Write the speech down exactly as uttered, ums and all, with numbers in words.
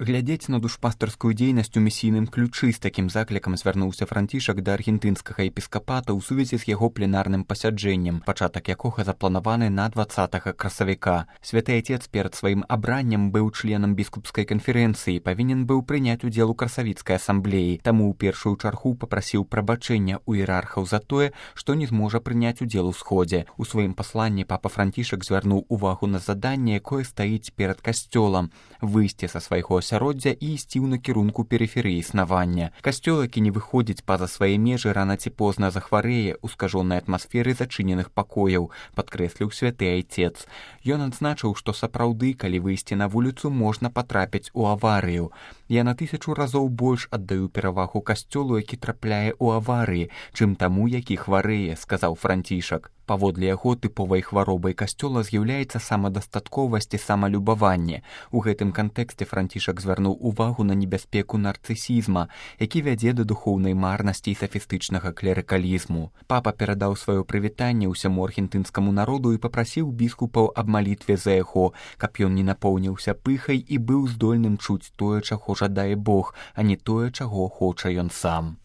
Глядзець на душпастарскую дзейнасць у місійным ключы з такім заклікам звярнуўся Францішак да аргентынскага епіскапата ў сувязі з яго пленарным пасяджэннем, пачатак якога запланаваны на дваццатага красавіка. Святы Отец перад сваім абраннем быў членам біскупскай канферэнцыі, павінен быў прыняць удзел у красавіцкай асамблеі, таму ў першую чаргу папрасіў прабачэння ў іерархаў за тое, што не зможа прыняць удзел у сходзе. У сваім пасланні папа Францішак звярнуў увагу на заданне, якое стаіць перад касцёлам – выйсці са свайго асяроддзя і ісці ў накірунку перыферыі існавання. Касцёл, які не выходзіць па-за свае межы, рана ці позна захварэе ў скажонай атмасферы зачыненых пакояў, падкрэсліў святы Айцец. Ён адзначыў, што сапраўды, калі выйсці на вуліцу, можна патрапіць у аварыю. Я на тысячу разоў больш аддаю перавагу касцёлу, які трапляе ў аварыі, чым таму, які хварэе, сказаў Францішак. Паводле яго тыповай хваробай касцёла з'яўляецца самадастатковасць і самалюбаванне. У гэтым кантэксце Францішак звярнуў увагу на небяспеку нарцысізма, які вядзе да духоўнай марнасці і сафістычнага клерыкалізму. Папа перадаў сваё прывітанне ўсяму аргентынскаму народу і папрасіў біскупаў аб малітве за яго, каб ён не напоўніўся пыхай і быў здольным чуць тое, чаго жадае Бог, а не тое, чаго хоча ён сам.